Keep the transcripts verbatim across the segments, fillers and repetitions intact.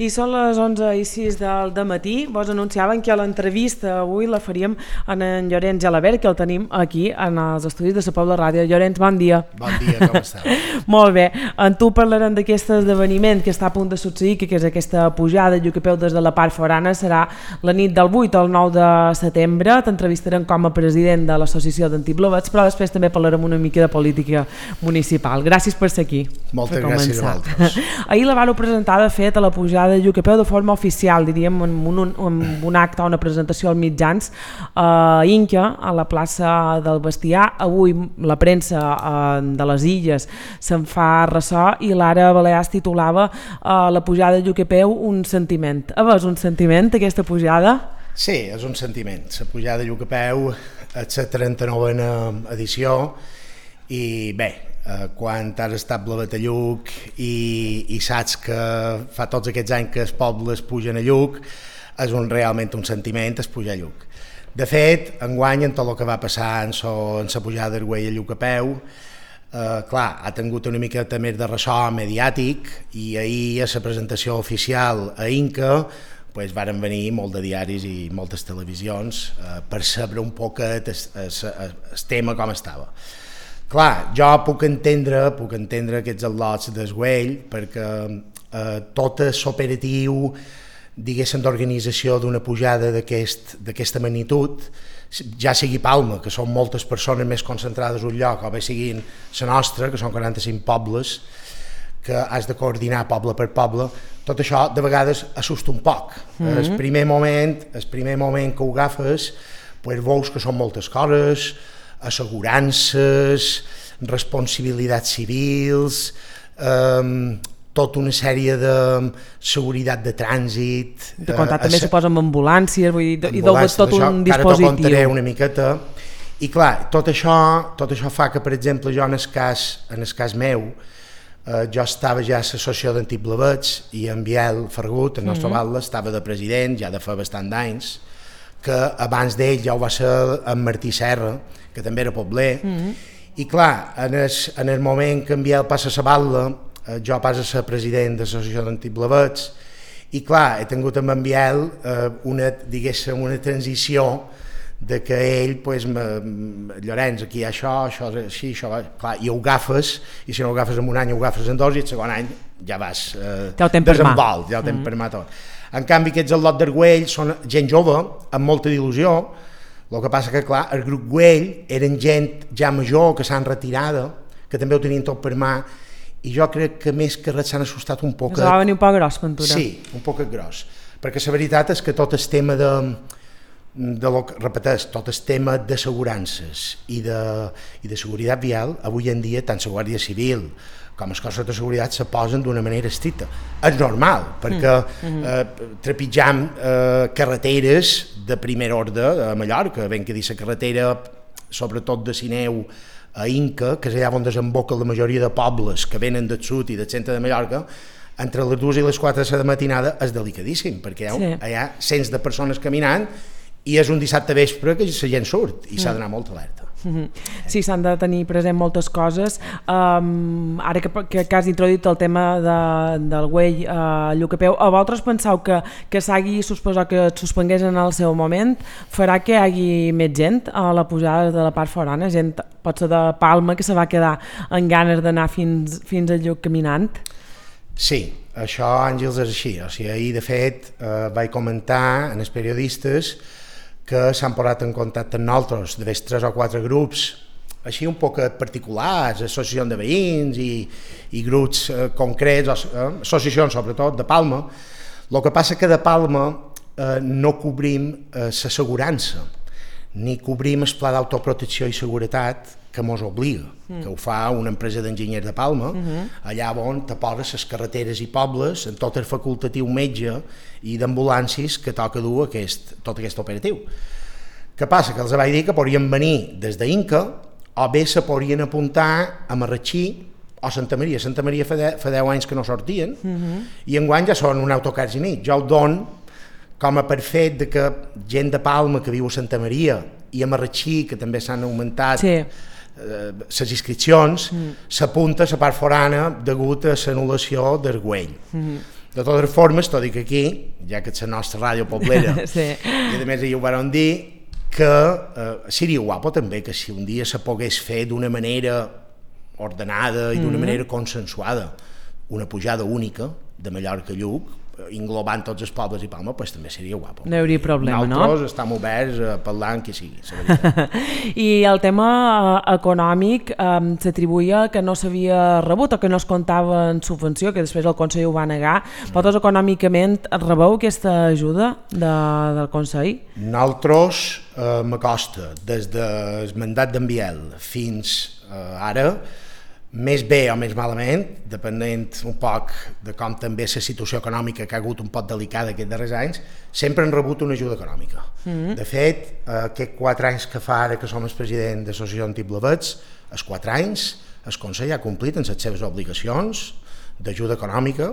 I són les onze i sis del matí. Vos anunciaven que l'entrevista avui la faríem en en Llorenç Gelabert, que el tenim aquí en els estudis de la Pobla Ràdio. Llorenç, bon dia. Bon dia, com estàs? Molt bé. En tu parlarem d'aquest esdeveniment que està a punt de succeir, que és aquesta pujada de Lluc a peu des de la part forana. Serà la nit del vuit al nou de setembre. T'entrevistarem com a president de l'Associació d'Antiblovets, però després també parlarem una mica de política municipal. Gràcies per ser aquí. Moltes gràcies a vosaltres. Ahir la vau presentar, de fet, a la pujada de Lluc a peu de forma oficial, diríem, en un, en un acte o una presentació als mitjans a Inca, a la plaça del Bestiar. Avui la premsa eh, de les Illes se'n fa ressò i l'Ara Balears titulava eh, la pujada de Lluc a peu un sentiment. A veure, és un sentiment aquesta pujada? Sí, és un sentiment. La pujada de Lluc a peu és la trenta-novena edició i bé, eh, quan has estat blavet a Lluc i, i saps que fa tots aquests anys que els pobles pugen a Lluc, és un, realment un sentiment es pujar a Lluc. De fet, enguany, en tot el que va passar en la pujada d'Arguell a Lluc a peu, eh, clar, ha tingut una miqueta més de ressò mediàtic i ahir a la presentació oficial a Inca pues, varen venir molt de diaris i moltes televisions eh, per saber un poquet el, el, el tema com estava. Clar, jo puc entendre, puc entendre aquests al·lots d'Arguell perquè eh, tot l'operatiu, diguéssim, d'organització d'una pujada d'aquesta magnitud, ja sigui Palma, que són moltes persones més concentrades en un lloc, o bé siguin la nostra, que són quaranta-cinc pobles, que has de coordinar poble per poble, tot això de vegades assusta un poc. Mm-hmm. El primer moment, el primer moment que ho agafes, pues, veus que són moltes coses, assegurances, responsabilitats civils, eh, tota una sèrie de seguretat de trànsit. De comptar també suposa amb ambulàncies, vull dir, i deu tot això, un dispositiu. Ara t'ho contaré una miqueta. I clar, tot això, tot això fa que, per exemple, jo en el cas, en el cas meu, eh, jo estava ja a l'Associació d'Antiblovets i en Biel Fergut, el nostre mm-hmm. batlle, estava de president ja de fa bastant d'anys, que abans d'ell ja ho va ser en Martí Serra, que també era pobler, mm-hmm. i clar, en el, en el moment que en Biel passa a la batlle, eh, jo passo a ser president de l'Associació d'Antiblovets, i clar, he tingut amb en Biel eh, una, diguéssim, una transició de que ell, pues, me, Llorenç, aquí hi ha això, això és així, això va, clar, i ho agafes, i si no ho agafes en un any, ho agafes en dos, i el segon any ja vas eh, ja desenvolt, ja ho tens mm. per mà tot. En canvi, aquests al lot d'Arguell són gent jove, amb molta il·lusió. El que passa que, clar, el grup Güell eren gent ja major, que s'han retirada, que també ho tenien tot per mà, i jo crec que més que res s'han assustat un poc. Us va venir un poc gros, Ventura. Sí, un poc gros. Perquè la veritat és que tot el tema de, de lo que repeteix, tot el tema d'assegurances i de, i de seguretat vial, avui en dia tant la Guàrdia Civil com els cossos de seguretat se posen d'una manera estricta. És normal, perquè mm. eh, trepitjam eh, carreteres de primer ordre a Mallorca, ben que dir la carretera, sobretot de Sineu a Inca, que és allà on desemboca la majoria de pobles que venen del sud i del centre de Mallorca, entre les dues i les quatre de la matinada és delicadíssim, perquè hi ha, sí. hi ha cents de persones caminant i és un dissabte vespre que la gent surt i mm. s'ha d'anar molt alerta. Mm-hmm. Sí, s'han de tenir present moltes coses. Um, ara que, que, que has introduït el tema de, del Güell a uh, Lluc a peu, a vosaltres penseu que, que s'hagi suposat que et suspengués en el seu moment farà que hi hagi més gent a la pujada de la part forana, gent pot ser de Palma que se va quedar amb ganes d'anar fins, fins a Lluc caminant? Sí, això, Àngels, és així. O sigui, ahir, de fet, eh, vaig comentar en els periodistes que s'han posat en contacte amb nosaltres, de tres o quatre grups, així un poc particulars, associacions de veïns i, i grups eh, concrets, eh, associacions sobretot de Palma. El que passa que de Palma eh, no cobrim eh, l'assegurança, ni cobrim el pla d'autoprotecció i seguretat que mos obliga, mm. que ho fa una empresa d'enginyers de Palma, mm-hmm. allà on te poses les carreteres i pobles en tot el facultatiu metge i d'ambulàncies que toca dur aquest, tot aquest operatiu. Què passa? Que els vaig dir que podrien venir des d'Inca o bé se podrien apuntar a Marratxí o Santa Maria. Santa Maria fa, de, fa deu anys que no sortien mm-hmm. i enguany ja són un autocar i nit. Jo ho dono com a per fet de que gent de Palma que viu a Santa Maria i a Marratxí, que també s'han augmentat sí. les eh, inscripcions, mm. s'apunta a la part forana degut a l'anul·lació d'Arguell. Mm. De totes formes, t'ho dic aquí, ja que ets la nostra ràdio poblera, sí. I a més ells ho van dir, que eh, seria guapo també que si un dia se pogués fer d'una manera ordenada i d'una mm-hmm. manera consensuada una pujada única de Mallorca a Lluc, englobant tots els pobles i Palma, pues, també seria guapo. No hi hauria problema, Nosaltres no? Nosaltres estem oberts a parlar amb qui sigui, la veritat. I el tema econòmic eh, s'atribuïa que no s'havia rebut o que no es comptava en subvenció, que després el Consell ho va negar. Mm. Vosaltres econòmicament rebeu aquesta ajuda de, del Consell? Nosaltres, eh, m'acosta, des del mandat d'en Biel fins eh, ara, més bé o més malament, depenent un poc de com també la situació econòmica que ha hagut un poc delicada aquests darrers anys, sempre han rebut una ajuda econòmica. Mm-hmm. De fet, aquests quatre anys que fa ara que som el president de l'Associació Antiblavets, els quatre anys el Consell ha complit amb les seves obligacions d'ajuda econòmica,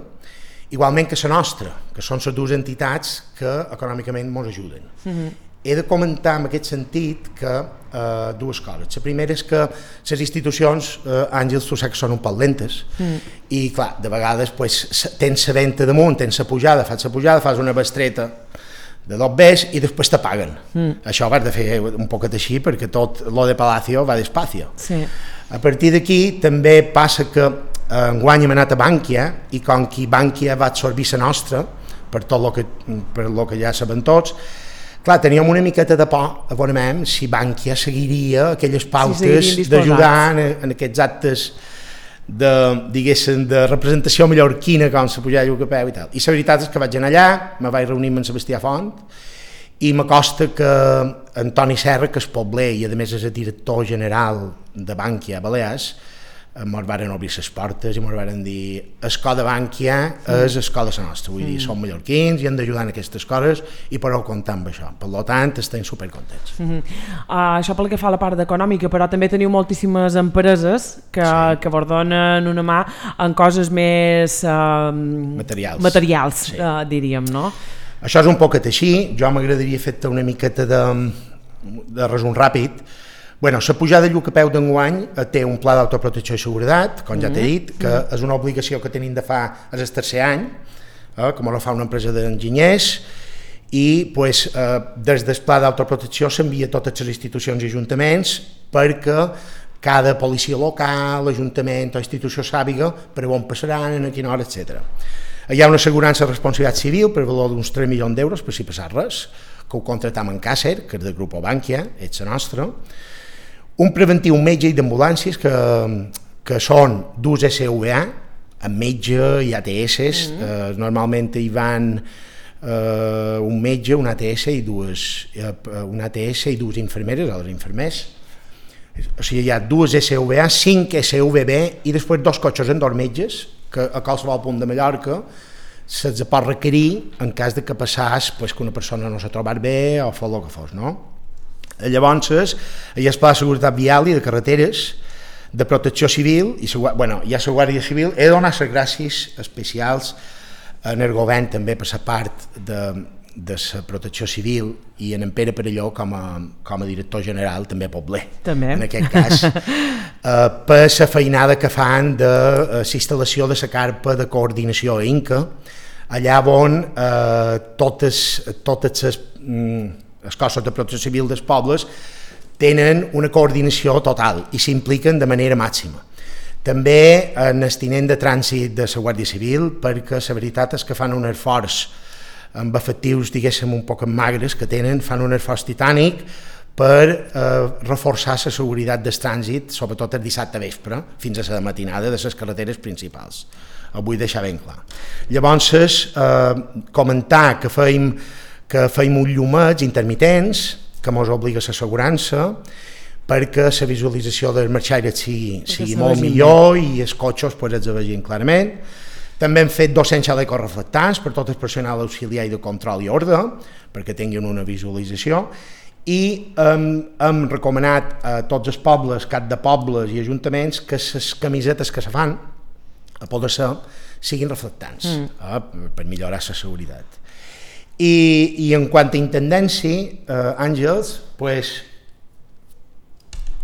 igualment que la nostra, que són les dues entitats que econòmicament ens ajuden. Mm-hmm. He de comentar en aquest sentit que eh, dues coses. La primera és que les institucions, eh, Àngels, tu saps que són un poc lentes, mm. i clar, de vegades pues, tens la venta damunt, tens la pujada, fas la pujada, fas una bestreta de dos bes i després te paguen. Mm. Això ho has de fer un poquet així perquè tot lo de Palacio va despacio. Sí. A partir d'aquí també passa que eh, enguany hem anat a Bànquia i com que Bànquia va absorbir la nostra per tot lo que, per lo que ja sabem tots, clar, teníem una miqueta de por, a veure, si Bànquia seguiria aquelles pautes sí, d'ajudar en, en aquests actes de, diguéssim, de representació mallorquina com la pujada de Lluc a peu i tal. I la veritat és que vaig anar allà, me vaig reunir amb en Sebastià Font i m'acosta que Antoni Serra, que és pobler i a més és el director general de Bànquia a Balears, ens van obrir les portes i ens van dir escola de Bànquia és escola de la nostra, vull dir, som mallorquins i hem d'ajudar en aquestes coses i podeu comptar amb això, per tant estem supercontents. Mm-hmm. uh, Això pel que fa a la part econòmica, però també teniu moltíssimes empreses que, sí. que vos donen una mà en coses més uh, materials, materials sí. uh, diríem, no? Això és un poquet així, jo m'agradaria fer-te una miqueta de, de resum ràpid. Bueno, la pujada de Lluc a peu d'enguany té un pla d'autoprotecció i seguretat, com ja t'he dit, que mm. és una obligació que tenim de fa el tercer any, eh, com ho fa una empresa d'enginyers, i pues, eh, des del pla d'autoprotecció s'envia a totes les institucions i ajuntaments perquè cada policia local, ajuntament o institució sàpiga per on passaran, a quina hora, etcètera. Hi ha una assegurança de responsabilitat civil per valor d'uns tres milions d'euros per si passar res, que ho contratam en Càcer, que és del grup Bànquia, és la nostra. Un preventiu metge i d'ambulàncies que, que són dos S V A, amb metge i A T S, mm-hmm. eh, normalment hi van eh, un metge, un A T S i dues, eh, un A T S i dues infermeres, o els infermers. O sigui, hi ha dues S V A, cinc S V B i després dos cotxes amb dos metges, que a qualsevol punt de Mallorca se'ls pot requerir en cas de que passàs pues, que una persona no s'ha trobat bé o fos el que fos, no? Llavors, hi ha el Pla de Seguretat Vial i de Carreteres, de Protecció Civil, i bueno, hi ha la Guàrdia Civil. He de donar les gràcies especials en el govern també per la part de, de la Protecció Civil i en en Pere Perelló com a, com a director general, també pobler, també. En aquest cas, eh, per la feinada que fan de la instal·lació de la carpa de coordinació a Inca, allà on eh, totes, totes les... Mm, els cossos de protecció civil dels pobles tenen una coordinació total i s'impliquen de manera màxima. També en el tinent de trànsit de la Guàrdia Civil, perquè la veritat és que fan un esforç amb efectius, diguéssim, un poc magres que tenen, fan un esforç titànic per eh, reforçar la seguretat del trànsit, sobretot el dissabte vespre, fins a la matinada de les carreteres principals. Ho vull deixar ben clar. Llavors, eh, comentar que feim que feim uns llumets intermitents, que ens obliga l'assegurança, perquè la visualització dels marxaires sigui, sigui molt millor i els cotxes pues, els vegin clarament. També hem fet dos-cents xalecos reflectants per tot el personal auxiliar i de control i ordre, perquè tinguin una visualització, i hem, hem recomanat a tots els pobles, cap de pobles i ajuntaments, que les camisetes que se fan, a poder ser, siguin reflectants, mm. eh, per millorar la seguretat. I, i en quant a intendència, eh, Àngels, pues,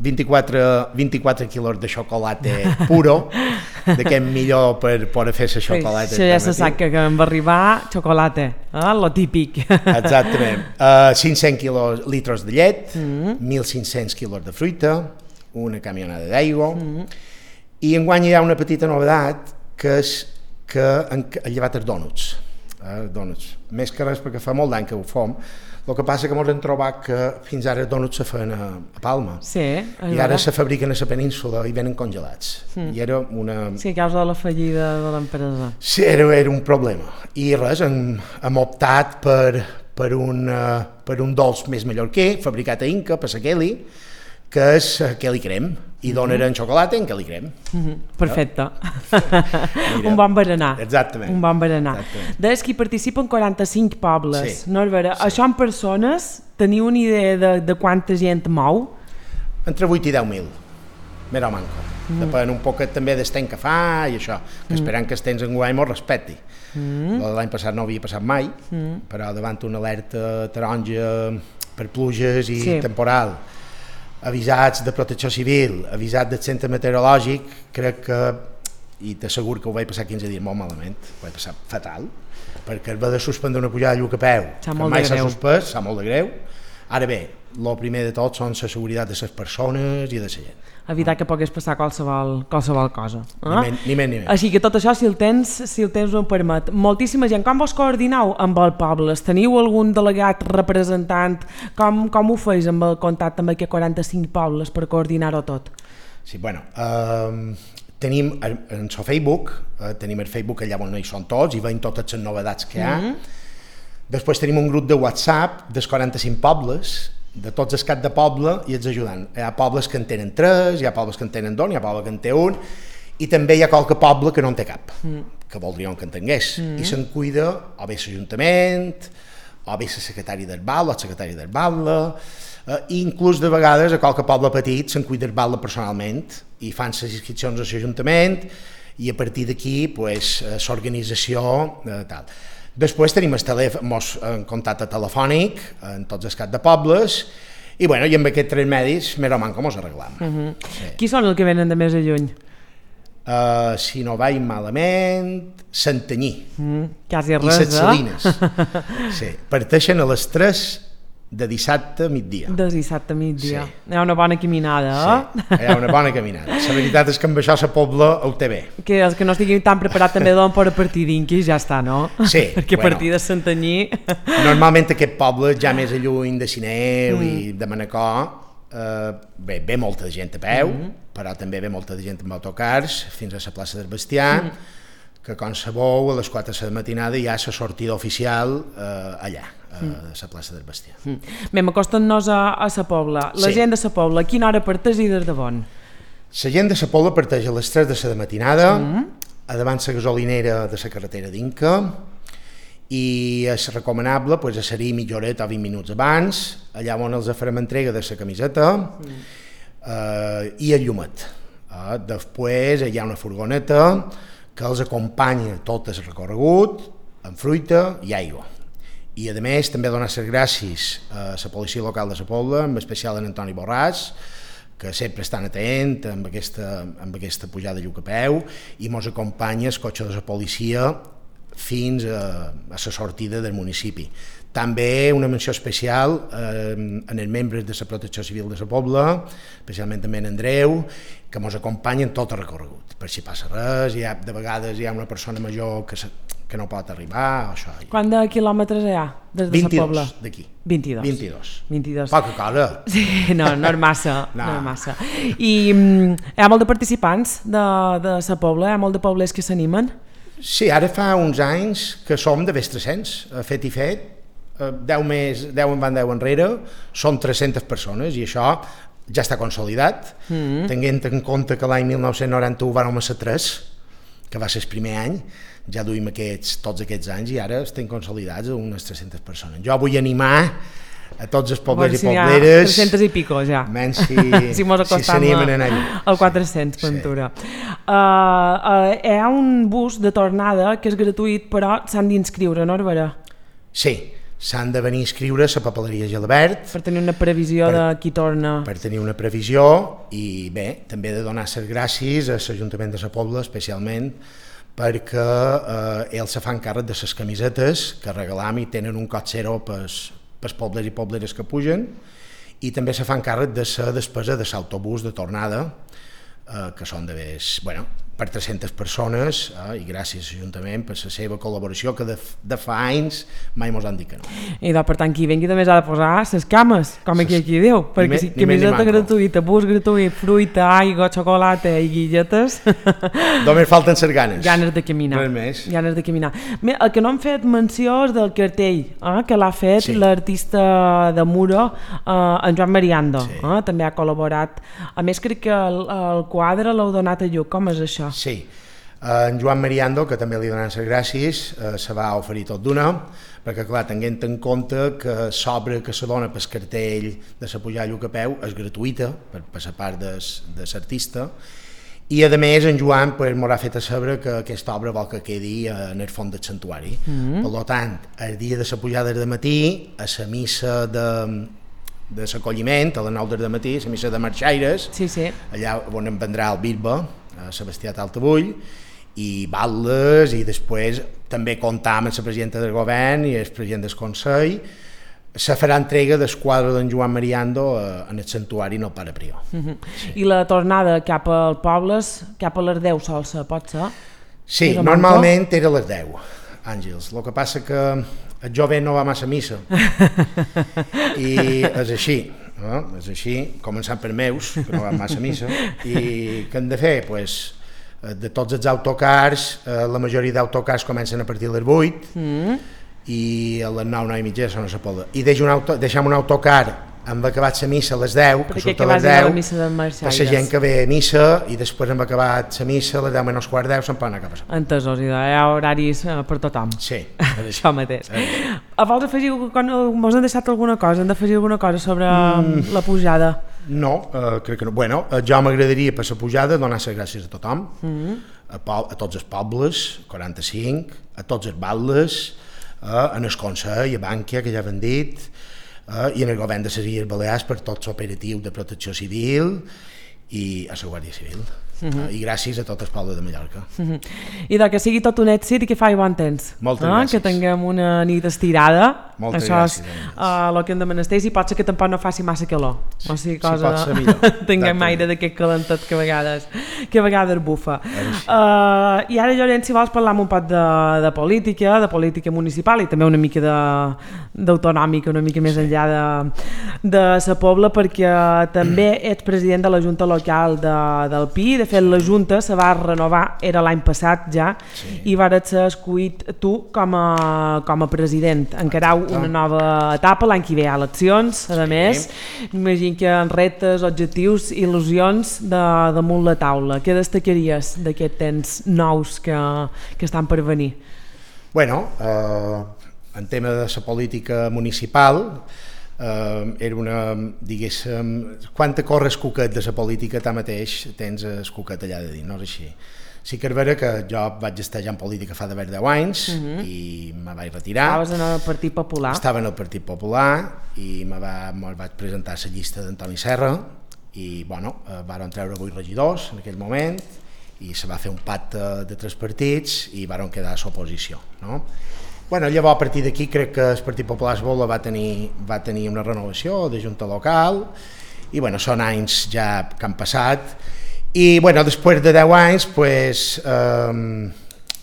vint-i-quatre, vint-i-quatre quilos de xocolata puro, de què millor per poder fer la xocolata. Això ja se sap que em va arribar xocolata, eh? Lo típic. Exactament. Uh, cinc-cents quilos, litros de llet, mm. mil cinc-cents quilos de fruita, una camionada d'aigua, mm. i enguany hi ha una petita novedat, que és que han llevat els dònuts. Eh, dònuts. Més que res perquè fa molt d'any que ho fem. El que passa que ens hem trobat que fins ara els dònuts se feien a, a Palma. Sí, i ara se fabriquen a la península i venen congelats. Mm. I era una... Sí, a causa de la fallida de l'empresa. Sí, era, era un problema. I res, hem, hem optat per, per, un, uh, per un dolç més mallorquí, fabricat a Inca, per la Kelly, que és Kelly Creme, i donen en xocolata en Kelly Creme. Mm-hmm. Perfecte. Un bon berenar. Exactament. Un bon berenar. Deies que hi participen quaranta-cinc pobles, sí. No és vera? Sí. Això en persones, teniu una idea de, de quanta gent mou? Entre vuit i deu mil, més o manco. Mm. Depèn un poquet també del temps que fa i això, que mm. esperant que els temps enguany mos respecti. Mm. L'any passat no havia passat mai, mm. però davant una alerta taronja per pluges i sí. temporal, avisats de protecció civil, avisats del centre meteorològic, crec que, i t'asseguro que ho vaig passar quinze dies molt malament, ho vaig passar fatal, perquè es va de suspendre una pujada de lluc a peu, que mai s'ha suspès, s'ha molt de greu. Ara bé, el primer de tot són la seguretat de les persones i de la gent. Evitar que pogués passar qualsevol, qualsevol cosa. Eh? Ni, men, ni men, ni men. Així que tot això, si el temps, si el temps ho permet. Moltíssima gent. Com vos coordineu amb el poble? Teniu algun delegat representant? Com, com ho feis amb el contacte amb aquests quaranta-cinc pobles per coordinar-ho tot? Sí, bueno, eh, tenim en el Facebook, eh, tenim el Facebook allà on hi són tots i veiem totes les novetats que hi ha. Mm-hmm. Després tenim un grup de WhatsApp dels quaranta-cinc pobles, de tots els caps de poble i els ajudant. Hi ha pobles que en tenen tres, hi ha pobles que en tenen dos, hi ha pobles que en té un, i també hi ha qualque poble que no en té cap, mm. que voldríem que en tingués. Mm. I se'n cuida o bé l'Ajuntament, o bé la secretària del Batlle, o el secretari del Batlle, eh, i inclús de vegades a qualque poble petit se'n cuida el Batlle personalment i fan les inscripcions a l'Ajuntament i a partir d'aquí pues, l'organització eh, tal. Després tenim el telèfon, en contacte telefònic en tots els caps de pobles i, bueno, i amb aquests tres medis més o manco mos arreglam. Uh-huh. Sí. Qui són els que venen de més a lluny? Uh, si no vaig malament, Santanyí mm, quasi res, i Set Salines. Sí, parteixen a les tres de dissabte a migdia. De dissabte a migdia. Sí. Hi ha una bona caminada, eh? Sí, hi ha una bona caminada. La veritat és que amb això la Pobla ho té bé. Que els que no estiguin tan preparats també donen per a partir d'Inquis, ja està, no? Sí. Perquè a bueno, partir de Santanyí... Normalment aquest poble, ja més a lluny de Sineu mm. i de Manacor, eh, bé, ve molta gent a peu, mm. però també ve molta gent amb autocars fins a la plaça del Bestiar, mm. que com sabeu, a les quatre de la matinada hi ha la sortida oficial eh, allà, a mm. la plaça del Bestiar. Mm. Bé, m'acostant-nos a, a la Pobla. La sí. gent de la Pobla, a quina hora parteix i des de bon? La gent de la Pobla parteix a les tres de la matinada, mm. a davant la gasolinera de la carretera d'Inca, i és recomanable pues, a ser-hi mitja horeta o vint minuts abans, allà on els farem entrega de la camiseta mm. eh, i el llumet. Eh, després hi ha una furgoneta que els acompanya tot el recorregut amb fruita i aigua. I a més també donar les gràcies a la policia local de la Pobla, en especial en Antoni Borràs, que sempre estan atent amb aquesta, amb aquesta pujada de lluc a peu i mos acompanya el cotxe de la policia fins a, a la sortida del municipi. També una menció especial eh, en els membres de la Protecció Civil de la Pobla, especialment també en Andreu, que ens acompanyen tot el recorregut. Per si passa res, hi ha, de vegades hi ha una persona major que, se, que no pot arribar. Això. Quant de quilòmetres hi ha des de la Pobla? vint-i-dos d'aquí. vint-i-dos. vint-i-dos. vint-i-dos. Poca cosa. Sí, no, no és massa. no. no és massa. I um, hi ha molt de participants de, de la Pobla, hi ha molt de poblers que s'animen? Sí, ara fa uns anys que som de més tres-cents, fet i fet, deu més, deu en van deu enrere, són tres-centes persones i això ja està consolidat, mm-hmm. tenint en compte que l'any mil nou-cents noranta-u vam ser tres, que va ser el primer any, ja duim aquests, tots aquests anys i ara estem consolidats a unes tres-centes persones. Jo vull animar a tots els poblers bueno, si i pobleres... tres-centes i pico, ja. Menys si, si, si s'animen a allà. El quatre-cents, Ventura. Sí. Uh, uh, hi ha un bus de tornada que és gratuït, però s'han d'inscriure, no, Herberà? Sí, s'han de venir a inscriure a la papeleria Gelabert. Per tenir una previsió per, de qui torna. Per tenir una previsió i bé, també de donar les gràcies a l'Ajuntament de la Pobla especialment perquè eh, ells se fan càrrec de les camisetes que regalam i tenen un cot zero pels, pels pobles i pobleres que pugen i també se fan càrrec de la despesa de l'autobús de tornada eh, que són de més, bueno, per tres-centes persones eh, i gràcies a l'Ajuntament per la seva col·laboració que de, de fa anys mai mos han dit que no. I doncs, per tant, qui vengui també s'ha de posar les cames, com aquí aquí diu, perquè si camiseta gratuïta, bus gratuït, fruita, aigua, xocolata i guilletes... Només falten les ganes. Ganes de caminar. Res més. Ganes de caminar. El que no hem fet menció és del cartell, eh, que l'ha fet sí. l'artista de Muro, eh, en Joan Mariando, sí. eh, també ha col·laborat. A més, crec que el, el quadre l'heu donat a lluc, com és això? Sí, en Joan Mariando, que també li donen les gràcies, eh, se va oferir tot d'una, perquè clar, tenint en compte que l'obra que se dona pel cartell de la pujada a Lluc a peu és gratuïta per, per la part de, de l'artista, i a més en Joan pues, m'haurà fet a saber que aquesta obra vol que quedi en el fons del santuari. Mm-hmm. Per tant, el dia de la pujada de matí, a la missa de... de l'acolliment, a les nou del matí, la missa de marxaires, sí, sí. allà on em vendrà el Birba, a Sebastià Taltabull, i balles, i després també comptar amb la presidenta del govern i el president del Consell. Se farà entrega del quadre d'en Joan Mariando en el santuari no Pare Prior. Uh-huh. Sí. I la tornada cap al pobles, cap a les deu sol ser, pot ser? Sí, normalment era a les deu, Àngels. El que passa que el jove no va massa a missa i és així, no? És així, començant per meus, que no van massa a missa, i què hem de fer? Pues, de tots els autocars, la majoria d'autocars comencen a partir de les vuit mm. i a les nou, nou i mitja són a la Pobla. I deixem un, auto, deixem un autocar hem acabat la missa a les deu, que surt a les deu, per la gent que ve a missa, i després hem acabat la missa a les deu menys quart deu, se'n poden anar cap a la. Entesos, hi ha horaris per tothom. Sí. Això mateix. A vols afegir, mos han deixat alguna cosa, hem d'afegir alguna cosa sobre mm. la pujada? No, uh, crec que no. Bueno, uh, jo m'agradaria per la pujada donar les gràcies a tothom, mm. a, po a tots els pobles, quaranta-cinc, a tots els batlles, uh, en el Consell, a Bànquia, que ja han dit, Uh, i en el govern de les Illes Balears per tot l'operatiu de protecció civil i a la Guàrdia Civil. Uh-huh. uh, I gràcies a tot el poble de Mallorca. Uh-huh. I de que sigui tot un èxit i que faci bon temps. Moltes eh? gràcies. Que tinguem una nit estirada. Moltes Això gràcies. és uh, el que hem de menester, i pot ser que tampoc no faci massa calor. Sí, o sigui, sí cosa... pot ser millor. Tinguem aire d'aquest calentet que a vegades, que a vegades bufa. Uh, I ara, Llorenç, si vols parlar un poc de, de política, de política municipal i també una mica d'autonòmica, una mica més sí. enllà de, de la Pobla, perquè també ets president de la Junta Local de, del Pi. De fet, la Junta se va renovar, era l'any passat ja, sí. i vas ser escollit tu com a, com a president. Encarau una nova etapa, l'any que ve hi ha eleccions, a més, sí. imagino que en reptes, objectius, il·lusions de, damunt la taula. Què destacaries d'aquests temps nous que, que estan per venir? Bueno, eh, en tema de la política municipal, Uh, era una, diguéssim, quan te corres cuquet de la política, tu mateix tens el cuquet allà de dir, no és així. Sí que és vera que jo vaig estar ja en política fa d'haver deu anys uh-huh. i me vaig retirar. Estaves en el Partit Popular. Estava en el Partit Popular i me, va, me vaig presentar a la llista d'Antoni Serra i, bueno, eh, varen treure vuit regidors en aquell moment i se va fer un pacte de tres partits i varen quedar a l'oposició, no? Bueno, llavors, a partir d'aquí, crec que el Partit Popular Esbola va tenir, va tenir una renovació de junta local i, bueno, són anys ja que han passat i, bueno, després de deu anys, pues, eh,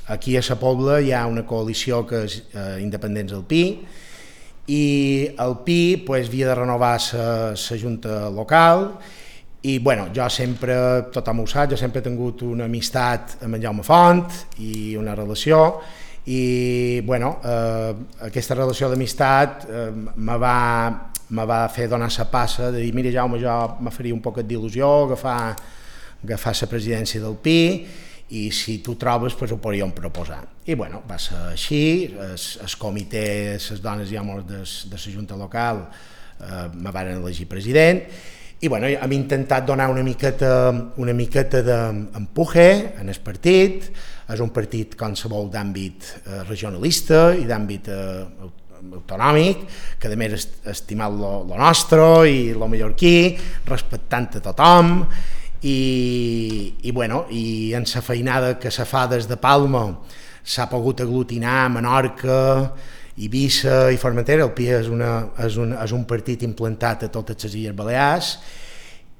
aquí a la Pobla hi ha una coalició que és eh, Independents del Pi i el Pi, pues, havia de renovar la junta local i, bueno, jo sempre, tothom ho sap, jo sempre he tingut una amistat amb en Jaume Font i una relació i, bueno, eh, aquesta relació d'amistat eh, me, va, me va fer donar la passa de dir, mira Jaume, jo me faria un poquet d'il·lusió agafar, agafar la presidència del Pi i si tu trobes, pues, ho podríem proposar. I, bueno, va ser així, el comitè, les dones i homes de, de la junta local eh, me van elegir president i, bueno, hem intentat donar una miqueta, una miqueta d'empuje en el partit. És un partit qualsevol d'àmbit eh, regionalista i d'àmbit eh, autonòmic, que a més estimat lo, lo nostre i lo mallorquí, respectant a tothom, i, i, bueno, i en la feinada que se fa des de Palma s'ha pogut aglutinar Menorca, Eivissa i Formentera. El P I és, una, és, un, és un partit implantat a totes les Illes Balears,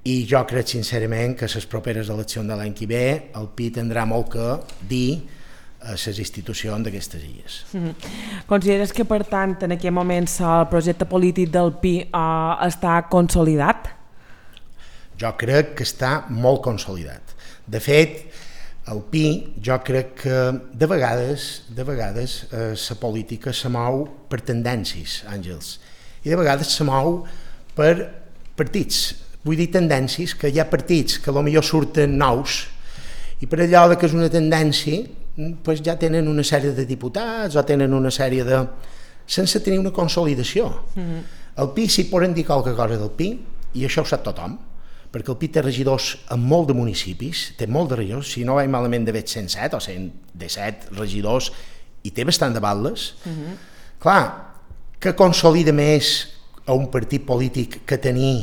i jo crec sincerament que les properes eleccions de l'any que ve el P I tindrà molt que dir a les institucions d'aquestes illes. Mm-hmm. Consideres que, per tant, en aquest moment el projecte polític del P I uh, està consolidat? Jo crec que està molt consolidat. De fet, el P I, jo crec que de vegades, de vegades eh, la política se mou per tendències, Àngels, i de vegades se mou per partits. Vull dir tendències, que hi ha partits que potser surten nous i per allò que és una tendència pues ja tenen una sèrie de diputats o tenen una sèrie de... sense tenir una consolidació. Mm-hmm. El P I, si poden dir qualque cosa del P I, i això ho sap tothom, perquè el P I té regidors en molt de municipis, té molt de regidors, si no vaig malament d'haver cent set o cent disset regidors, i té bastant de batlles. Mm-hmm. Clar, que consolida més a un partit polític que tenir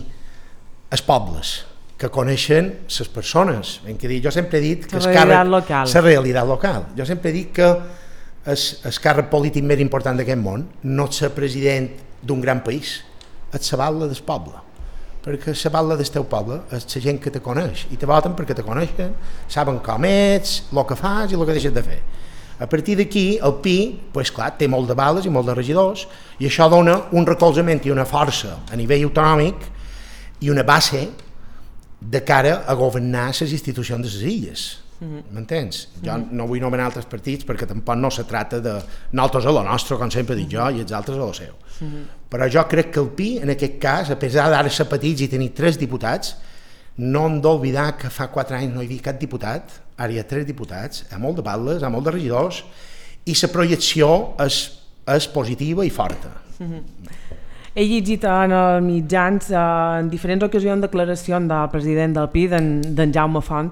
els pobles, que coneixen les persones. Ben que dir, jo sempre he dit que la realitat local. La realitat local. Jo sempre he dit que el, el càrrec polític més important d'aquest món no és ser president d'un gran país, és la batla del poble. Perquè la batla del teu poble és la gent que te coneix, i te voten perquè te coneixen, saben com ets, el que fas i el que deixes de fer. A partir d'aquí, el P I, pues clar, té molt de bales i molt de regidors, i això dona un recolzament i una força a nivell autonòmic i una base de cara a governar les institucions de les illes. M'entens? Mm-hmm. Jo no vull nomenar altres partits perquè tampoc no se trata de nosaltres a lo nostre, com sempre dic jo, i els altres a lo seu. Mm-hmm. Però jo crec que el P I, en aquest cas, a pesar d'ara ser petits i tenir tres diputats, no hem d'oblidar que fa quatre anys no hi havia cap diputat, ara hi ha tres diputats, hi ha molt de batlles, hi ha molt de regidors, i la projecció és, és positiva i forta. Mm-hmm. He llegit en els mitjans en diferents ocasions declaracions del president del P I, d'en Jaume Font,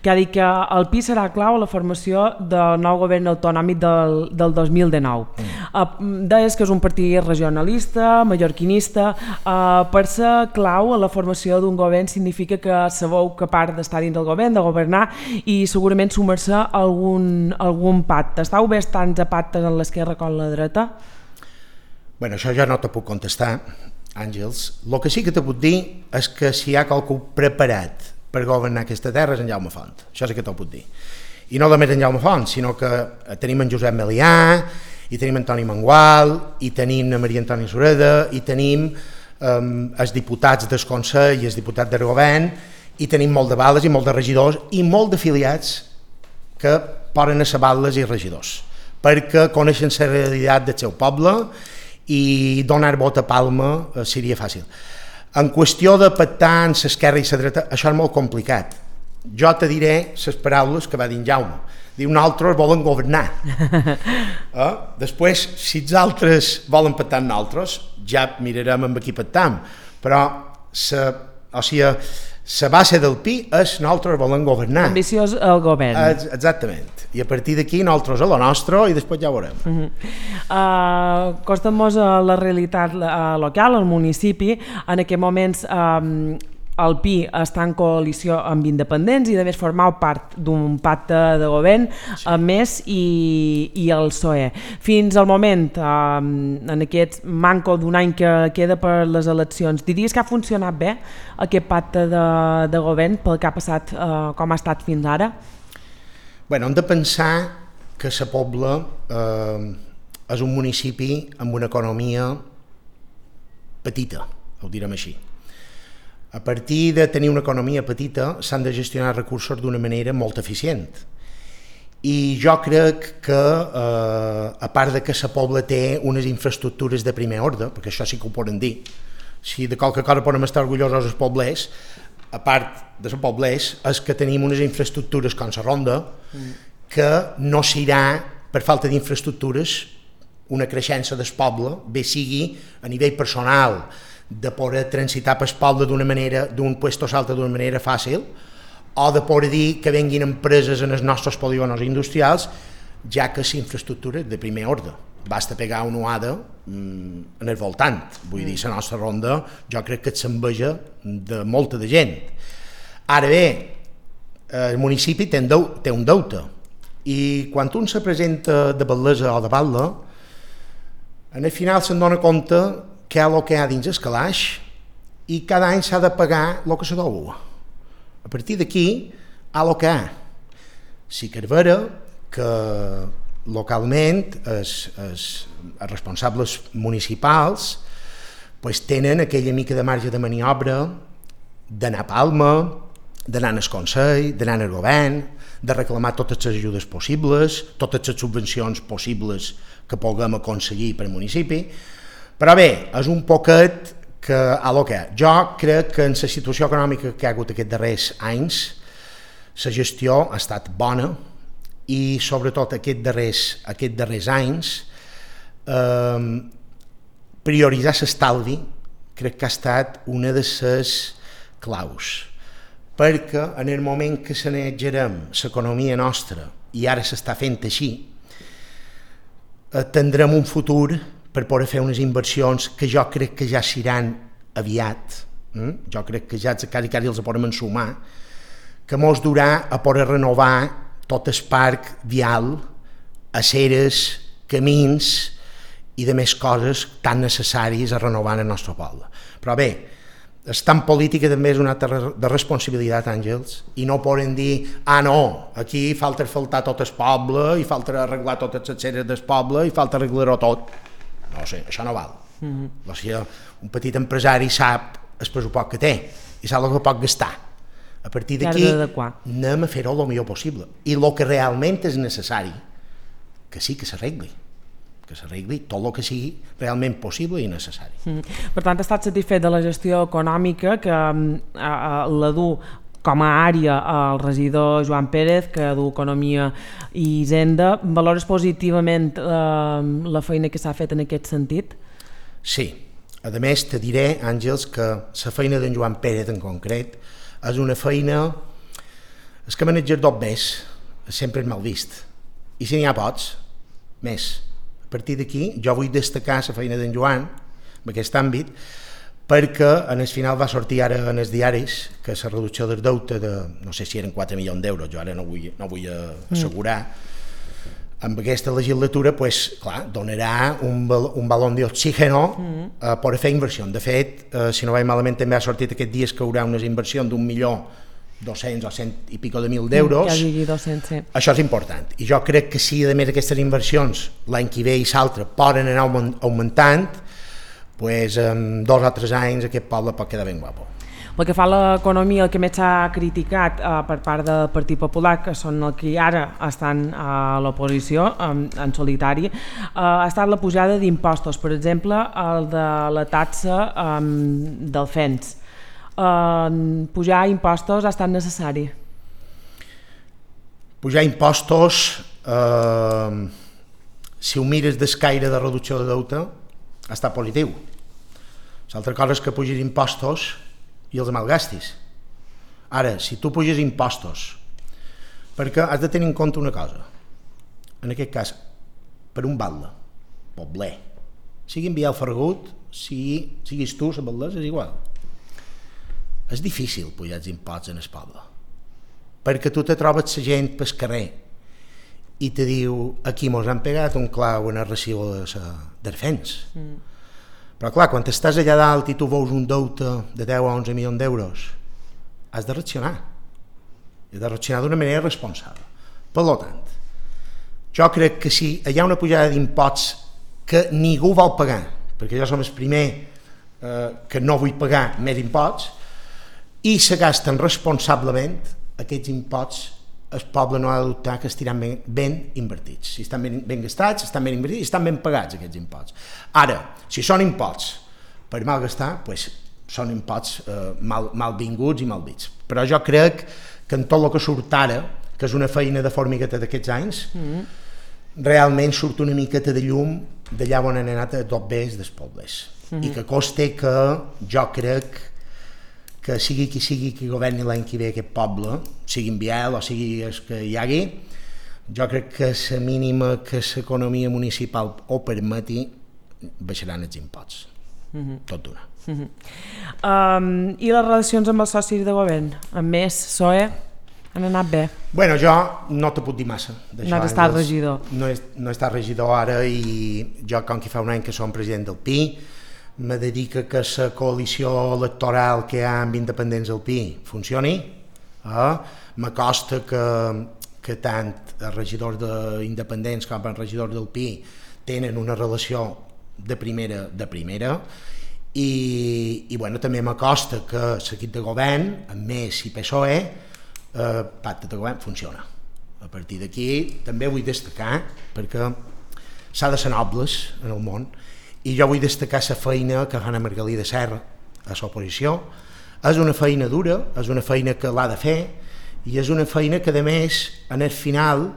que ha dit que el P I serà clau a la formació del nou govern autonòmic del, del dos mil dinou. Mm. Deies que és un partit regionalista, mallorquinista. Per ser clau a la formació d'un govern significa que sabeu que a part d'estar dins del govern, de governar, i segurament sumar-se a algun, algun pacte. Estàu bé tants a pactes en l'esquerra com la dreta? Bueno, això ja no te puc contestar, Àngels. El que sí que te puc dir és que si hi ha qualcú preparat per governar aquesta terra és en Jaume Font. Això sí que te'l puc dir. I no només en Jaume Font, sinó que tenim en Josep Melià, i tenim en Toni Mangual, i tenim en Maria Antònia Sureda, i tenim um, els diputats del Consell i els diputats del govern, i tenim molt de bales i molt de regidors i molt d'afiliats que poden ser batlles i regidors, perquè coneixen la realitat del seu poble i donar vot a Palma eh, seria fàcil. En qüestió de pactar en l'esquerra i la dreta, això és molt complicat. Jo te diré les paraules que va dir en Jaume. Diu, nosaltres volen governar. Eh? Després, si els altres volen pactar amb nosaltres, ja mirarem amb qui pactam. Però la, o sigui, la base del P I és nosaltres volen governar. Ambiciós el govern. Eh, exactament. I a partir d'aquí nosaltres a la nostra i després ja ho veurem. Uh-huh. uh, Costa-nos a la realitat uh, local, al municipi. En aquests moments um, el P I està en coalició amb independents i de més formar part d'un pacte de govern sí. amb Més i, i el P S O E. Fins al moment, um, en aquest manco d'un any que queda per les eleccions, diries que ha funcionat bé aquest pacte de, de govern pel que ha passat, uh, com ha estat fins ara? Bueno, hem de pensar que la Pobla eh, és un municipi amb una economia petita, ho direm així. A partir de tenir una economia petita s'han de gestionar recursos d'una manera molt eficient. I jo crec que, eh, a part de que la Pobla té unes infraestructures de primer ordre, perquè això sí que ho poden dir, si de qualque cosa podem estar orgullosos els poblers, a part de els poblers, és que tenim unes infraestructures com la Ronda, mm. que no s'irà, per falta d'infraestructures, una creixença del poble, bé sigui a nivell personal, de poder transitar pel poble d'una manera, d'un puesto a l'altre d'una manera fàcil, o de poder dir que venguin empreses en els nostres polígonos industrials, ja que és infraestructura de primer ordre. Basta pegar una uada en el voltant. Vull dir, la nostra ronda jo crec que s'enveja de molta de gent. Ara bé, el municipi té un deute i quan un se presenta de Batlesa o de Batlle, en el final se'n dona compte que hi ha el que hi ha dins el calaix i cada any s'ha de pagar el que se deu. A partir d'aquí, hi ha el que hi ha. Sí que és vera que localment els, els, els responsables municipals pues, tenen aquella mica de marge de maniobra d'anar a Palma, d'anar al Consell, d'anar al govern, de reclamar totes les ajudes possibles, totes les subvencions possibles que puguem aconseguir per al municipi, però bé, és un poquet que a lo que jo crec que en la situació econòmica que hi ha hagut aquests darrers anys la gestió ha estat bona i sobretot aquests darrers, aquests darrers anys eh, prioritzar l'estalvi crec que ha estat una de les claus, perquè en el moment que sanejarem l'economia nostra i ara s'està fent així, tindrem un futur per poder fer unes inversions que jo crec que ja seran aviat, mm? jo crec que ja quasi, quasi els podem ensumar, que mos durà a poder renovar tot el parc vial, aceres, camins i de més coses tan necessàries a renovar en el nostre poble. Però bé, estar en política també és una altra de responsabilitat, Àngels, i no poden dir, ah no, aquí falta faltar tot el poble i falta arreglar totes les aceres del poble i falta arreglar-ho tot. No sé, això no val. Mm-hmm. O sigui, un petit empresari sap el pressupost que té i sap el que pot gastar. A partir d'aquí anem a fer-ho el millor possible. I el que realment és necessari, que sí que s'arregli, que s'arregli tot el que sigui realment possible i necessari. Mm. Per tant, ha estat satisfet de la gestió econòmica que eh, la du com a àrea el regidor Joan Pérez, que du Economia i Hisenda. Valores positivament eh, la feina que s'ha fet en aquest sentit? Sí. A més, te diré, Àngels, que la feina d'en Joan Pérez en concret és una feina... És que manejar dos bés sempre és mal vist. I si n'hi ha pots, més. A partir d'aquí, jo vull destacar la feina d'en Joan en aquest àmbit, perquè en el final va sortir ara en els diaris que la reducció del deute de, no sé si eren quatre milions d'euros, jo ara no vull, no vull assegurar, mm. amb aquesta legislatura, pues, clar, donarà un, un balón d'oxígeno mm. eh, per fer inversió. De fet, eh, si no vaig malament, també ha sortit aquests dies que hi haurà unes inversions d'un milió dos-cents o cent i pico de mil d'euros. Ja digui dos-cents, sí. Això és important. I jo crec que si, a més, aquestes inversions l'any que ve i l'altre poden anar augmentant, pues, en dos o tres anys aquest poble pot quedar ben guapo. Pel que fa a l'economia, el que més s'ha criticat eh, per part del Partit Popular, que són els que ara estan a l'oposició en, en solitari, eh, ha estat la pujada d'impostos, per exemple, el de la taxa eh, del F E N S. Eh, pujar impostos ha estat necessari? Pujar impostos, eh, si ho mires d'escaire de reducció de deute, ha estat positiu. L'altra cosa és que pugis impostos i els malgastis. Ara, si tu puges impostos, perquè has de tenir en compte una cosa, en aquest cas, per un batlle, pobler, sigui enviar el Ferragut, sigui, siguis tu, la batlesa, és igual. És difícil pujar els imposts en el poble, perquè tu te trobes la gent pel carrer i te diu, aquí mos han pegat un clau en el recibo de del F E N S. Mm. Però clar, quan estàs allà dalt i tu veus un deute de deu a onze milions d'euros, has de reaccionar. Has de reaccionar d'una manera responsable. Per tant, jo crec que si hi ha una pujada d'imposts que ningú vol pagar, perquè jo som el primer eh, que no vull pagar més imposts, i se gasten responsablement, aquests imposts el poble no ha de dubtar que estiran ben, ben invertits. Si estan ben, ben gastats, estan ben invertits i estan ben pagats aquests imposts. Ara, si són imposts per mal gastar, pues, són imposts eh, mal, mal vinguts i mal dits. Però jo crec que en tot el que surt ara, que és una feina de formigueta d'aquests anys, mm. realment surt una miqueta de llum d'allà on han anat a tot bés dels pobles. Mm-hmm. I que coste que jo crec que sigui qui sigui qui governi l'any que ve aquest poble, sigui en Biel o sigui el que hi hagi, jo crec que la mínima que l'economia municipal ho permeti, baixaran els imposts. Mm-hmm. Tot d'una. Mm-hmm. um, I les relacions amb els socis de govern? Amb Més, P S O E, han anat bé? Bueno, jo no te puc dir massa. No has estat regidor. No he, no he estat regidor ara i jo, com que fa un any que som president del P I, me dedica que la coalició electoral que hi ha amb independents del P I funcioni. Eh? M'acosta que, que tant els regidors d'independents com els regidors del P I tenen una relació de primera de primera i, i bueno, també m'acosta que l'equip de govern, amb Més i P S O E, eh, pacte de govern funciona. A partir d'aquí també vull destacar, perquè s'ha de ser nobles en el món, i jo vull destacar la feina que fa la Margalida Serra a l'oposició. És una feina dura, és una feina que l'ha de fer, i és una feina que, a més, en el final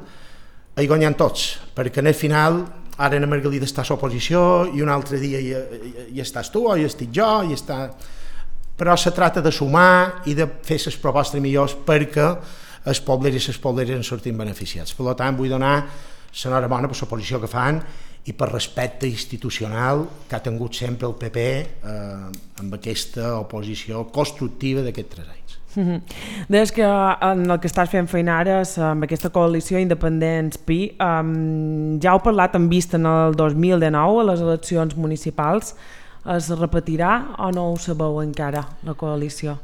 hi guanyen tots, perquè en el final ara la Margalida està a l'oposició i un altre dia hi, hi, hi estàs tu o hi estic jo, hi està... però se trata de sumar i de fer les propostes millors perquè els pobles i les pobleres en sortin beneficiats. Per tant, vull donar l'enhorabona per l'oposició que fan i per respecte institucional que ha tingut sempre el P P eh, amb aquesta oposició constructiva d'aquests tres anys. Mm-hmm. Deies que en el que estàs fent feina ara amb aquesta coalició Independents-P I, um, ja heu parlat en vista en el dos mil dinou a les eleccions municipals. Es repetirà o no ho sabeu encara, la coalició?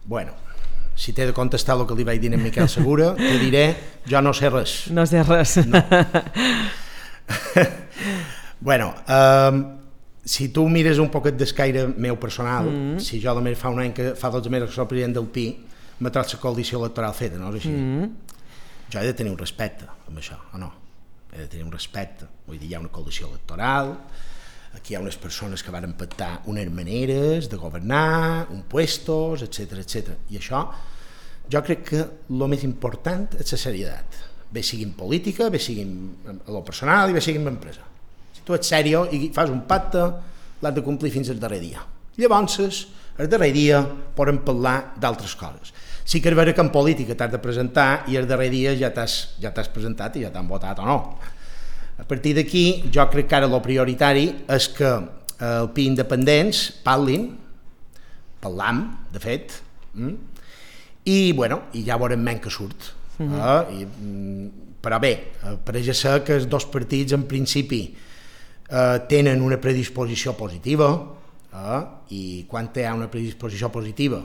Bueno, si t'he de contestar el que li vaig dir a Miquel Segura, te diré, jo no sé res. No sé res. No. Bueno, um, si tu mires un poquet d'escaire meu personal, mm-hmm. si jo només fa un any que fa dotze mesos que soc president del P I, m'ha tret la coalició electoral feta, no és així? Mm-hmm. Jo he de tenir un respecte amb això, o no? He de tenir un respecte. Vull dir, hi ha una coalició electoral, aquí hi ha unes persones que van pactar unes maneres de governar, uns puestos, etcètera, etcètera. I això, jo crec que el més important és la serietat. Bé sigui en política, bé sigui en lo personal i bé sigui en empresa. Si tu ets sèrio i fas un pacte, l'has de complir fins al darrer dia. Llavors, el darrer dia podem parlar d'altres coses. Sí que és vera que en política t'has de presentar i el darrer dia ja t'has ja t'has presentat i ja t'han votat o no. A partir d'aquí, jo crec que ara el prioritari és que el P I independents parlin, parlam, de fet, mm? i, bueno, i ja veurem menys que surt. Mm-hmm. eh? I, però bé, pareix ser que els dos partits, en principi, eh, tenen una predisposició positiva, eh? i quan hi ha una predisposició positiva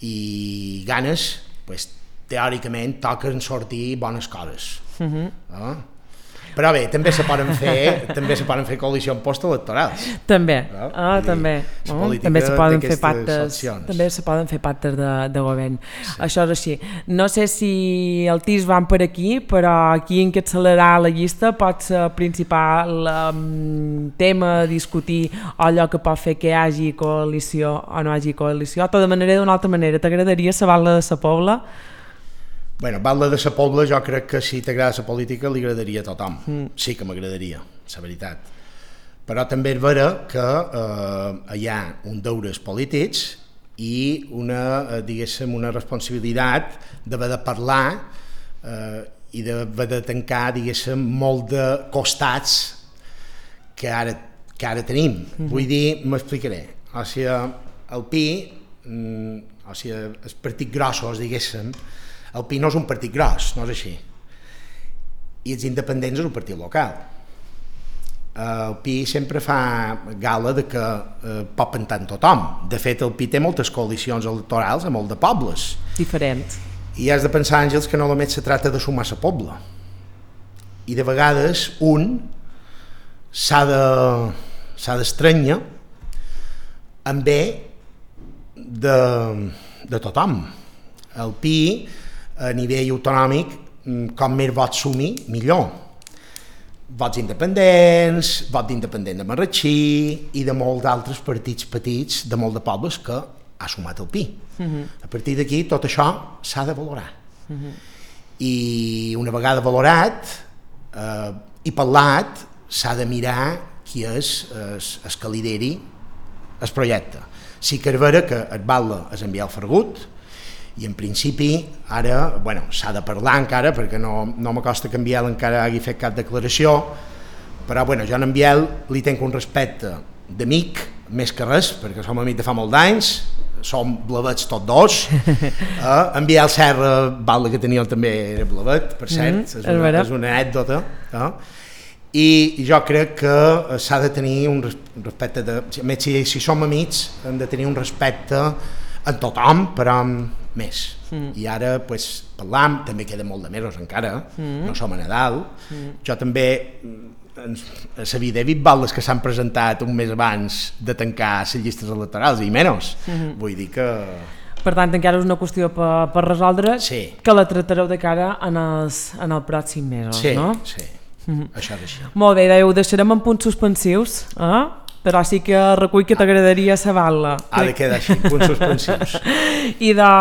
i ganes, pues, teòricament toquen sortir bones coses. Mm-hmm. eh? Però bé, també se poden fer, també se poden fer coalicions postelectorals. També, no? ah, dir, també. Oh, també se poden fer pactes, opcions. també se poden fer pactes de, de govern. Sí. Això és així. No sé si el T I S van per aquí, però aquí en què accelerar la llista pot ser principal um, tema a discutir allò que pot fer que hi hagi coalició o no hi hagi coalició. De manera d'una altra manera, t'agradaria saber la de sa Pobla? Bueno, parla de la Pobla, jo crec que si t'agrada la política li agradaria a tothom. Mm. Sí que m'agradaria, la veritat. Però també és vera que eh, hi ha un deures polítics i una, eh, diguéssim, una responsabilitat d'haver de parlar eh, i d'haver de tancar, diguéssim, molt de costats que ara, que ara tenim. Mm-hmm. Vull dir, m'explicaré. O sigui, el P I, mm, o sigui, els partits grossos, diguéssim, el P I no és un partit gros, no és així. I els independents és un partit local. El P I sempre fa gala de que eh, pot pentar en tothom. De fet, el P I té moltes coalicions electorals a molt de pobles. Diferents. I has de pensar, Àngels, que no només se tracta de sumar la pobla. I de vegades un s'ha de, s'ha d'estranyar en bé de, de tothom. El P I a nivell autonòmic, com més vots sumi, millor. Vots independents, vot d'independent de Marratxí i de molts altres partits petits de molt de pobles que ha sumat el P I. Uh-huh. A partir d'aquí tot això s'ha de valorar. Uh-huh. I una vegada valorat eh, i parlat, s'ha de mirar qui és el que lideri el projecte. Sí que és vera que et val és enviar el Fergut, i en principi ara, bueno, s'ha de parlar encara perquè no, no m'acosta que en Biel encara hagi fet cap declaració, però bueno, jo en Biel li tenc un respecte d'amic, més que res, perquè som amics de fa molt d'anys, som blavets tots dos, eh? En Biel Serra, Valde que teníem també era blavet, per cert, mm, és, una, és una anècdota, eh? I jo crec que s'ha de tenir un respecte, de, a més si, si som amics hem de tenir un respecte en tothom, però més. Mm. I ara pues, parlam, també queda molt de mesos encara, mm. no som a Nadal. Mm. Jo també, a la vida he vist baldes que s'han presentat un mes abans de tancar les llistes electorals, i menys. Mm-hmm. Vull dir que... Per tant, encara és una qüestió per, per resoldre, sí. Que la tractareu de cara en els, en els pròxims mesos, sí, no? Sí, sí. Mm-hmm. Això és així. Molt bé, ho deixarem en punts suspensius, eh? Però sí que recull que t'agradaria saber-la. Ha de quedar així, punts suspensius. I de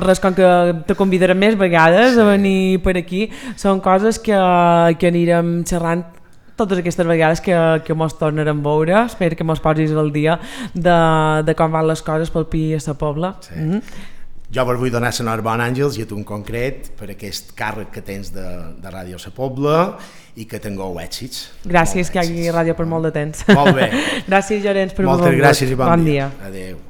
res, com que te convidarem més vegades sí. a venir per aquí, són coses que, que anirem xerrant totes aquestes vegades que, que mos tornarem a veure. Espero que mos posis al dia de, de com van les coses pel Pi a la Pobla. Sí. Mm-hmm. Jo vos vull donar l'enhorabona, Àngels, i a tu en concret, per aquest càrrec que tens de, de Ràdio La Pobla i que tingueu èxits. Gràcies, que hi hagi ràdio per molt de temps. Molt bé. Gràcies, Llorenç, per moltes gràcies i bon, bon dia. dia. Adéu.